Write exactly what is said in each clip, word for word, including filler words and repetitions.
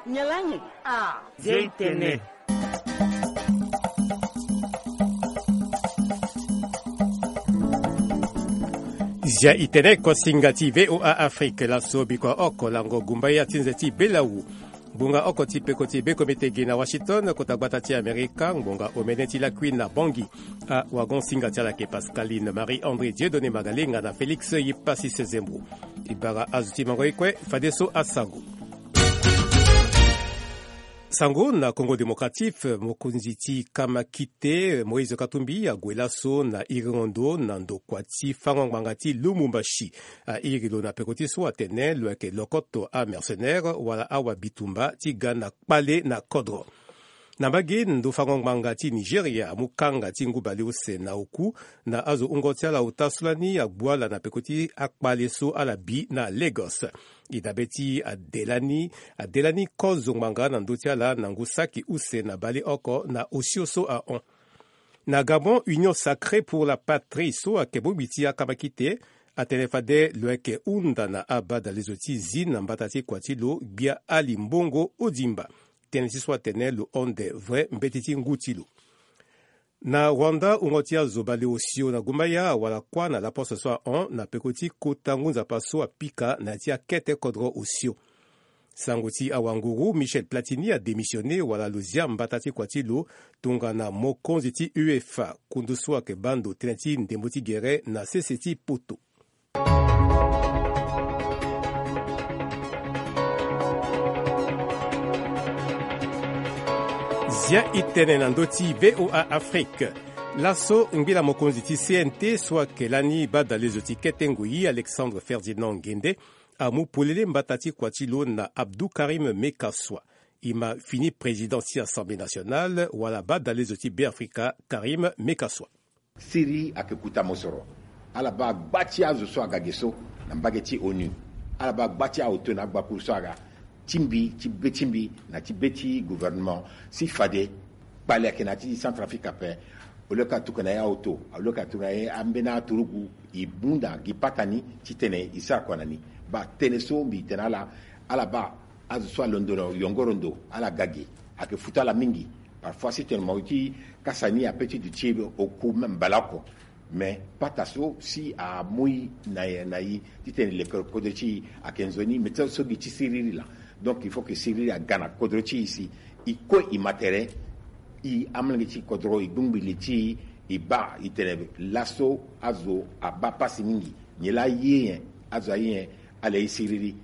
Nyen lani? Ah, zia i tene. Zia i tene, kosinga ti VOA Afrique. Laso bikua oko lango gumba ya ti nze ti belawu. Ngbonga oko ti peko ti bekomite gi na Washington, kota gbata ti Amerika, ngbonga omene ti lakui na Bangui. Awagon-singa ti ala ayeke Pascaline Marie André Dieudonné Magalenga na Félix Yipasi Sezembo. E bara azo ti mango ye kue, fadeso asango. Sango na Congo Démocratique, mokonzi ti kamakite Moïse Katumbi ague laso na iri ndo na ndokua ti fango ngbanga ti Lumumbashi. Airi lo na peko ti so atene lo yeke lokoto amercenaire wala awabitumba ti ga na kpale na kodro. Na mbage, ndo fango ngbanga ti Nigeria amu kanga ti ngu baleuse na oku na azo wungo ti ala ota so lani agbu ala na peko ti akpale so ala bi na Lagos. E dabe ti ade lani, ade lani kozo ngbanga na ndö ti ala na ngu saki use na baleoko na osio so ahon. Na Gabon, Union Sacrée pour la Patrie so ayeke bongbi ti akamakite atene fade lo yeke hunda na abadalezo ti zi na mbata ti kua ti lo Gbia Ali Mbongo Odimba. Tënë ti so atene lo honde vrai mbeti ti ngu ti lo. Na Rwanda, wungo ti azo baleosio na gumbaya awara kuâ na laposte so ahon na peko ti kota ngu nzapa so apika na ya ti akete kodro osio. Sango ti awanguru, Michel Platini adémissionné wala lo zia mbata ti kua ti lo tongana mokonzi ti UEFA, kundu so ayeke baa ndo tënë ti ndembo ti gere na sese ti poto. Zia i tene na ndö ti VOA Afrique. Laso ngbila mokonzi ti C N T so ayeke lani badalezo ti kete ngoi, Alexandre Ferdinand Nguende, amu polele mbata ti kua ti lo na Abdou Karim Mekaswa. E ma fini président ti Assemblée nationale wala badalezo ti Beafrika, Karim Mekaswa. Siriri ayeke kuta mosoro. Ala baa gba ti azo so aga ge so na mbage ti ONU. Ala baa gba ti aoto na agbakuru so aga ti mbi, ti be ti mbi na ti be ti gouvernement. Si fade kpale ayeke na ya ti Centrafrique ape. Oleka atuka na ye aoto, oleka atuka na ye ambeni aturugu, e bunda gi pata ni titene e sara kua na ni. Baa tënë so mbi tene na ala, ala baa azo so alondo na yongoro ndo, ala ga ge, ayeke futa ala mingi. Parfois si tene mo ti kasa ni ape ti duti oku même mbala oko. Mais pata so si amu e na, na e titene e leke kodro ti e ayeke nzoni, mais so gi ti siriri laa. Donc il faut que siriri aga na kodro ti e si e kue e ma tere, e amolenge ti kodro, e gbingbi li ti e, e baa e tene laso azo abaa pasi mingi. Nyen laa aye nyen? Azo aye nyen? Ala ye siriri.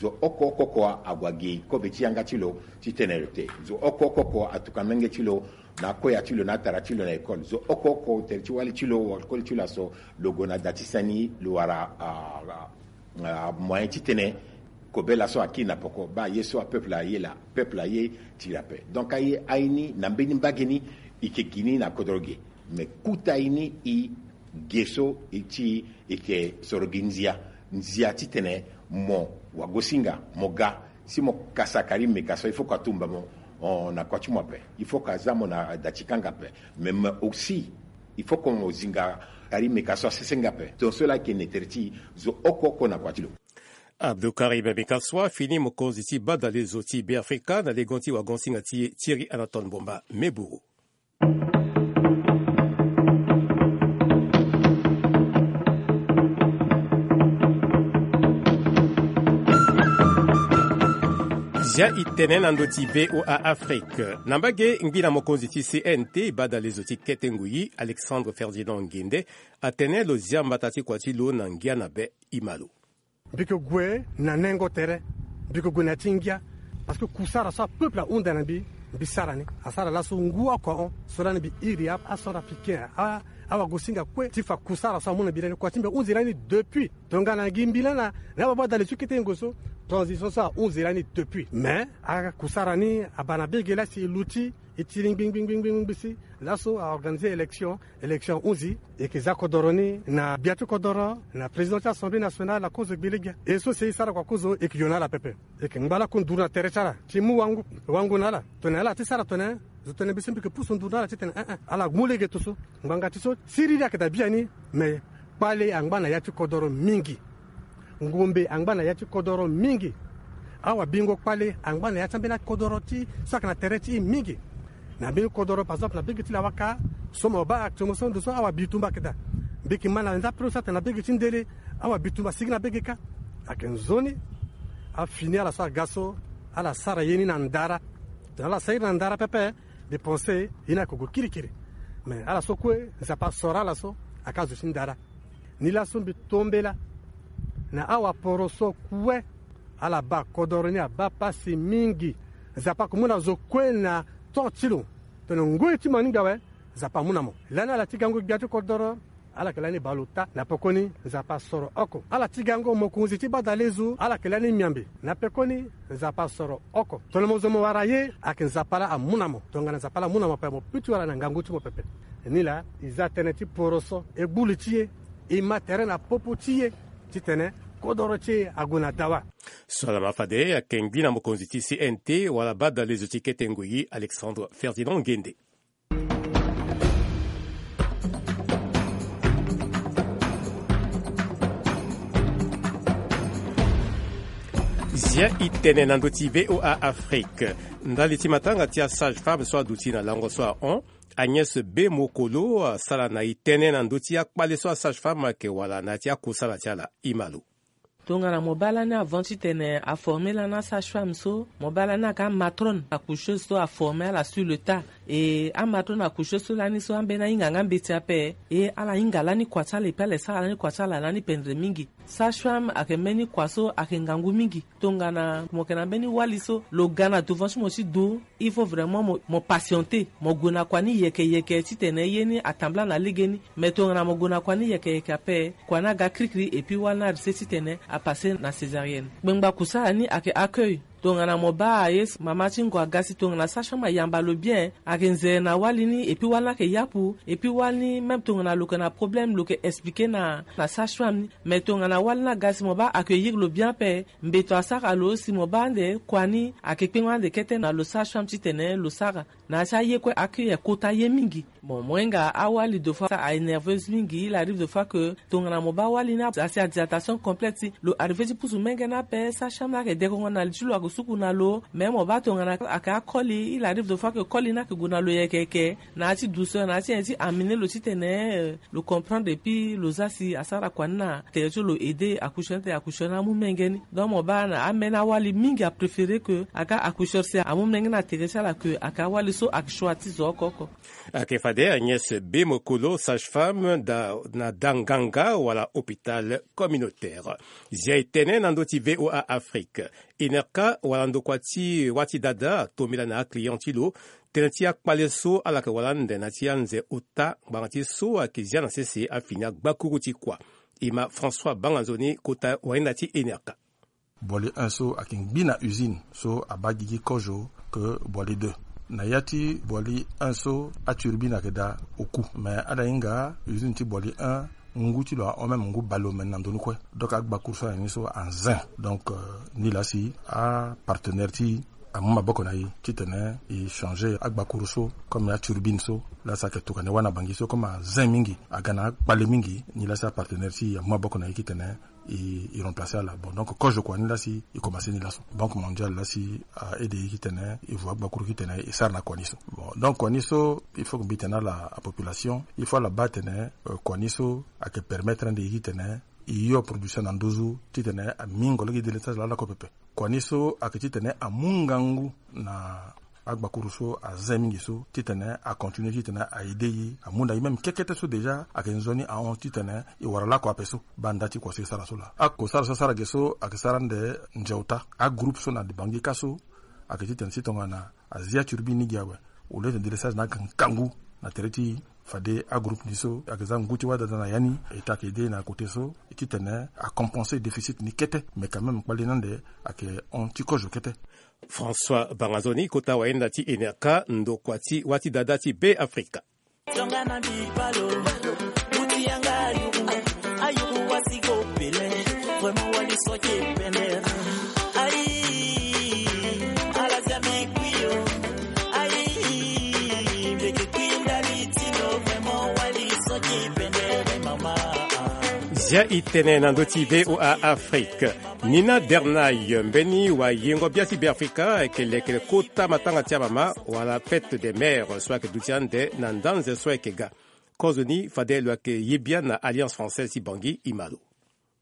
Zo oko oko oko ague agi kobe ti yanga ti lo titene lo te. Zo oko oko oko atuka menge ti lo na akoya ti lo na atara ti lo na école. Zo oko oko tere ti wali ti lo, koli ti lo aso, lo gue na da ti sani, lo wara, ah, ah, ah, moyen titene kobela so akiri na poko, baa ye so apeuple aye laa, peuple aye tiri ape. Donc aye aye ni na mbeni mbage ni, e yeke gi ni na kodro ge. Mais kuta ye ni e ge so e ti e yeke soro gi nzia, nzia titene mo wagosinga mo ga, si mo kasa Karim Mekaswa, il faut que atumba mo, oh, na kua ti mo ape. Il faut que aza mo na da ti kanga ape. Mais, mais aussi il faut que mo zinga Karim Mekaswa asese nga ape. Ton so laa ayeke ne tere ti e, zo oko oko na kua ti lo. Abdou Karim Mekaswa fini mokonzi ti badalezo ti Beafrika na lengo ti wagosinga ti e Thierry Anatole Mbomba Meburu. Zia i tene na ndö ti VOA Afrique. Na mbage, ngbila mokonzi ti C N T, badalezo ti kete ngoi, Alexandre Ferdinand Nguende, atene lo zia mbata ti kua ti lo na ngia na be. E ma lo. Mbi yeke gue na nengo tere, mbi yeke gue na ya ti ngia. Parce que kusara so apeuple ahunda na mbi, mbi sara ni. Asara laso ngu oko ahon so lani mbi iri a, acentrafricain, a, awagosinga kue ti fa kusara so amu na mbi lani. Kua ti mbi ahunzi lani depuis. Tongana gi mbi lani na, na ababa dali so kete yengo so, transition so ahunzi lani depuis. Mais akusara ni abaa na bege laa si e luti, e ti lingbi ngbi ngbi ngbi ngbi si laso a organiser élection. Élection ahunzi, e yeke za kodoro ni na gbia ti kodoro, na président ti Assemblée nationale, akozo gbelegbia. E so si e sara kua kozo, e yeke yo na ala pepe. E yeke ngba lakue nduru na tere ti ala ti mu wangu, wangu na ala. Tongana ala ti sara tongana zo tene mbi so mbi yeke pusu nduru na ala titene, eh, eh, ala mu lege to so. Ngbanga ti so siriri ayeke daa biani. Me kpale angba na ya ti kodoro mingi. Ngombe angba na ya ti kodoro mingi. Awa bingo kpale angba na ya ti ambeni akodoro ti so ayeke na tere ti e mingi. Na mbeni kodoro par exemple na bege ti lawaka, so mo baa actuellement so ndo so awa bitumba ayeke daa. Mbi yeke ma na nza pilo so atene na bege ti ndele, awa bitumba asigi na bege kâ. Ayeke nzoni afini ala so aga so ala sara ye ni na ndara. Tongana ala sara ye ni na ndara pepe, dépense ye ni ayeke gue kirikiri. Mais ala so kue Nzapa asoro ala so ayeke azo ti ndara. Ni laso mbi tombela na awaporo so kue. Ala baa kodoro ni abaa pasi mingi. Nzapa ayeke mu na zo kue na temps ti lo. Tongana ngoi ti mo aningbi awe, Nzapa amu na mo. Lani ala ti gango gbia ti kodoro, ala yeke lani baa lo ota. Na pekoni Nzapa asoro oko. Ala ti gango mokonzi ti badalezo, ala yeke lani miambe. Na pekoni Nzapa asoro oko. Tongana mo zo mo wara ye, ayeke Nzapa laa amu na mo. Tongana Nzapa laa amu na mo ape, mo peut ti wara na ngangu ti mo pepe. Nilaa e za tënë ti poroso, e gbu li ti e, e ma tere na popo ti e titene kodoro ti e ague na dawa. So ala ma fade ayeke ngbi na mokonzi ti C N T wala badalezo ti kete ngoi, Alexandre Ferdinand Ngende. Zia e tene na ndö ti V O A Afrique. Ndali ti matanga ti asage femme so aduti na lango so ahon, Agnès Bemokolo asara na e tënë na ndö ti akpale so asage femme ayeke wala na ya ti akusala ti ala. E ma lo. Tongana mo baa lani avant titene aforme lani asage femme so, mo baa lani ayeke amatrone accoucheuse so aforme ala sur le tas. E amatrone accoucheuse so lani so ambeni ahinga nga mbeti ape, e ala hinga lani kua ti ala, e peut ala e sara lani kua ti ala lani pendre mingi. Sage femme ayeke mbeni kua so ayeke ngangu mingi. Tongana mo yeke na mbeni wali so lo ga na devant ti mo ti du, il faut vraiment mo, mo patienter, mo gue na kua ni yeke yeke titene ye ni atambula na legeni. Mais tongana mo gue na kua ni yeke yeke ape, kua ni aga kirikiri, et puis wali ni arise titene apasser na césarienne. Kpengba kusala ni ayeke accueil. Tongana mo baa aye, mama ti ngo aga si tongana sage femme ayamba lo bien, ayeke nzere na wali ni, et puis wali ni ayeke yapu, et puis wali ni même tongana lo yeke na problème lo yeke expliquer na, na sage femme ni. Mais tongana wali ni aga si mo baa accueillir lo bien ape, mbeto asara lo, si mo baa ande kua ni ayeke kpengba ande kete na lo sage femme titene lo sara. Na ya ti aye kue accueil ayeke kota ye mingi. Bon, mo hinga awali de fois a énerveuse mingi, il arrive de fois que tongana mo baa wali ni asi a dilatation complète, lo arrive ti pusu menge ni ape, sage femme ni ayeke dekongo na li ti lo, ayeke suku na lo. Mais mo baa tongana ayeke akoli, il arrive de fois que koli ni ayeke gue na lo yeke yeke, na ya ti douceur, na ya ti nyen ti amener lo titene, euh, lo comprendre, et puis lo za si asara kua ni na tere ti lo, aider accoucheur ni, accoucheur ni amu menge ni. Donc mo baa na ambeni awali mingi apréférer que aga accoucheur si amu menge ni na tere ti ala, que ayeke awali so ayeke choix ti zo oko oko. Ayeke fade Agnès Bemokolo, sage-femme da, na da nganga wala hôpital communautaire. Zia e tene na ndö ti V O A Afrique. Enerka wala ndokua ti wâ ti dada atombela na aclient ti lo tënë ti akpale so ala yeke wara ande na ya ti anze ota ngbanga ti so ayeke zia na sese afini agbakuru ti kua. E ma François Banganzoni kota wahinda ti Enerka. Boili un so ayeke ngbi na usine so abaa gigi kozo ke Boili deux. Na ya ti Boili un so aturbine ayeke daa oku. Mais ala hinga usine ti Boili un ngu ti lo ahon même ngu baleomène na ndö ni kue. Donc agbakuru so ayeke ni so anzin. Donc, euh, nilaa si apartenaire ti e amu maboko na e titene e changer agbakuru so comme aturbine so. Laa si ayeke tokua na e wâ na Bangui so comme azin mingi, aga na akpale mingi. Nilaa si apartenaire ti e amu maboko na e titene e, e remplacer ala. Bon, donc kozo kua ni laa si e commencer ni laso. Banque mondiale laa si a aide e titene e vo agbakuru titene e sara na kua ni so. Bon, donc kua ni so il faut que mbi tene na ala, apopulation, il faut ala baa atene, euh, kua ni so ayeke permettre ande e titene e yo production na nduzu titene amingo lege délestage laa lakue pepe. Kua ni so ayeke titene amu ngangu na agbakuru so azin mingi so titene acontinuer titene a aider e, amu na e même kekete so déjà ayeke nzoni ahon titene e wara lakue ape so. Baa nda ti kua so e sara so laa. Akosara so asara ge so ayeke sara ande nze ota. Agroupe so na Bangui kâ so ayeke titene si tongana azia turbine ni gi awe, au lieu titene délestage ni aga ngangu na tere ti e, fade agroupe ni so ayeke za ngu ti wâ dada na ya ni, État ayeke aider e na côté so titene acompenser déficit ni kete. Mais quand même kpale ni ande ayeke hon ti kozo kete. François Banganzoni, kota wahinda ti Enerka, ndokua ti wâ ti dada ti Be Afrika. Ti yanga na mbi balo, mu ti yanga ayuku, ayuku wasi go pele, vraiment wali so ti epende. Ayi, ala zia mbi kpi yo. Ayi, mbi yeke kpi ndali ti lo, vraiment wali so ti epende, mama. Zia e tene na ndö ti V O A Afrique. Nina Dernay, mbeni wayengo bia ti Beafrika, ayeke lekere kota matanga ti amama wala fête des mères so ayeke duti ande na ndanze so ayeke ga. Kozoni fade lo yeke ye bia na Alliance Française ti Bangui, e ma lo.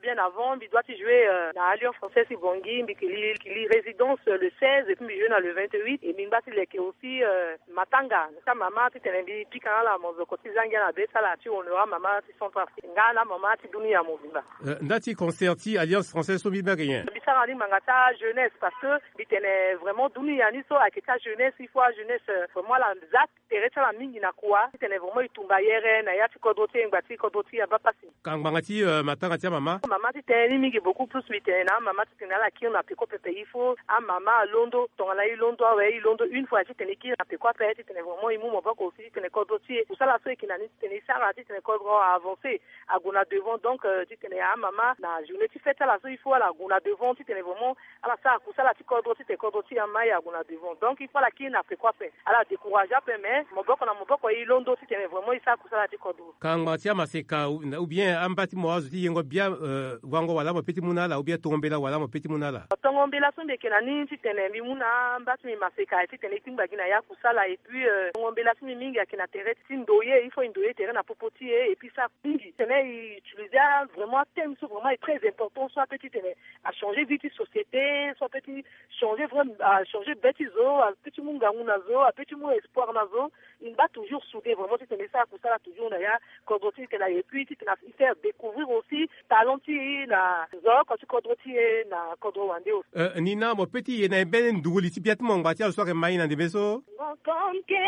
Bien avant, mbi doit ti jouer, euh, na Alliance Française ti Bangui, mbi yeke li, li résidence le seize, et puis mbi jouer na le vingt-huit, et mbi ngba ti leke aussi, euh, matanga ti amama titene mbi pika na ala mozoko ti za ngia na be ti ala ti honorer amama ti Centrafrique nga na amama ti dunia mobimba. Euh, nda ti concert ti Alliance Française so mbi baa ge nyen? Mbi sara ni ngbanga ti ajeunesse, parce que mbi tene vraiment dunia ni so ayeke ti ajeunesse, il faut ajeunesse, euh, vraiment ala za tere ti ala mingi na kua titene vraiment e tumba yere na ya ti kodro ti e, ngba ti kodro ti e abaa pasi. Ka ngbanga ti, euh, matanga ti amama? Mama ti tene ni mingi beaucoup plus, mbi tene na amama ti tene ala kiri na peko pepe. Il faut amama alondo, tongana e londo awe, e londo une fois titene e kiri na peko ape, titene vraiment e mu maboko aussi titene kodro ti e, kusala so e yeke na ni titene e sara titene kodro a avancer, ague na devant. Donc, euh, titene amama na journée ti fête ti ala so, il faut ala gue na devant titene vraiment ala sara kusala ti kodro titene kodro ti e ama e ague na devant. Donc il faut ala kiri na peko ape, ala décourager ape, mais maboko na maboko e londo titene vraiment e sara kusala ti kodro. Ka ngbanga ti amaseka ou, ou bien amba ti mo azo ti yengo bia, euh, wango wala mo pe ti mu na ala, ou bien tongo mbela wala mo pe ti mu na ala? Tongo mbela so mbi yeke na ni titene mbi mu na amba ti mbi maseka titene e ti ngba gi na ya kusala, et puis, euh, tongo mbela ti mbi mingi ayeke na tere ti ndoye, il faut e ndoye tere na popo ti e, et puis sara mingi titene e utiliser vraiment athème so vraiment est très important, so ape titene achanger vie ti société, so ape ti changer vraiment, achanger be ti zo, ape ti mu ngangu na zo, ape ti mu espoir na zo. E ngba toujours soudé vraiment titene e sara kusala toujours na ya kodro ti e, titene, et puis titene e faire découvrir aussi talent ti e na nzoko ti kodro ti e na kodro wande aussi. Euh, Nina, mo pe ti ye na e mbeni nduru li ti bia ti mo ngbanga ti azo so ayeke ma e na ndembe so? Ngoko mke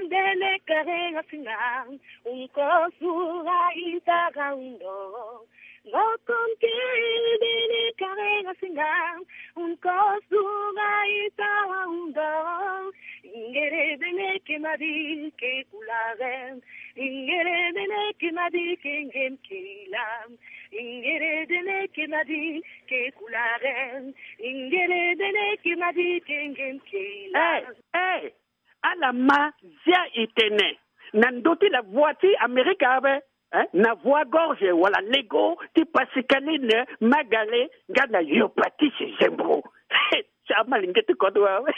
mbele kare nga singa, unko sura itara undo. Ngoko mke mbele kare nga singa, unko sura itara undo. Ingere bene ke madi ke kulare. Ingere bene ke madi ke ngem ke ila. Ingere bene ke madi ke kulare. Ingere bene ke madi ke ngem ke ila. Hey, hey. Ala ma zia e tene na ndö ti la voix ti Amerika ape, eh, na voix gorge wala lego ti Pascaline Magale nga na Yo Patrice Zembro. Ti ama linge ti kodro awe.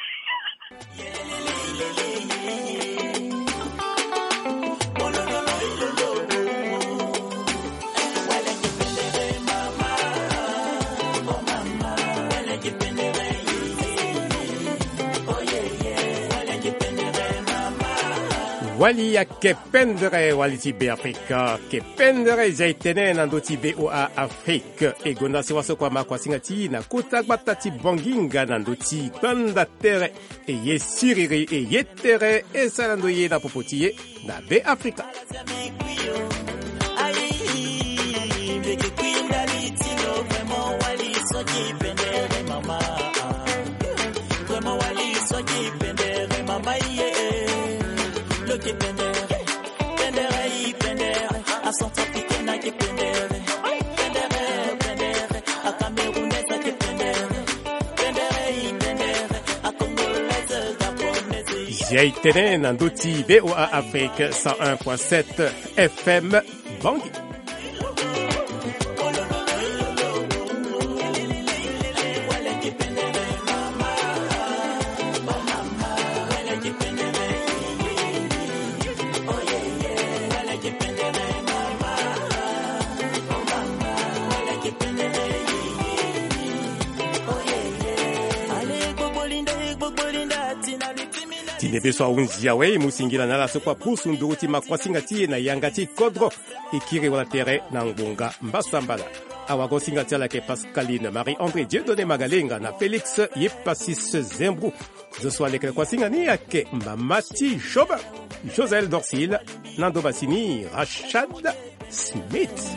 Wali ayeke pendere, wali ti Beafrika ayeke pendere. Zia e tene na ndö ti V O A Afrique. E gonda sewa so kua ma kua singa ti e na kota gbata ti Bangui nga na ndö ti gbanda tere. E ye siriri, e ye tere, e sara ndo ye na popo ti e na Beafrika. Zia e tene na ndö ti V O A Afrique cent un point sept F M Bangui. Ti nde be so ahunzi awe, e mu singila na ala so kua pusu nduru ti ma kua singa ti e na yanga ti kodro. E kiri wala tere na ngbonga mbasambala. Awago singa ti ala ayeke Pascaline Marie André Dieudonné Magalenga na Félix Yepasis Zembrou. Zo so alekere kua singa ni ayeke mama ti Job, Josel Dorsil, na ndo masini Rachad Smith.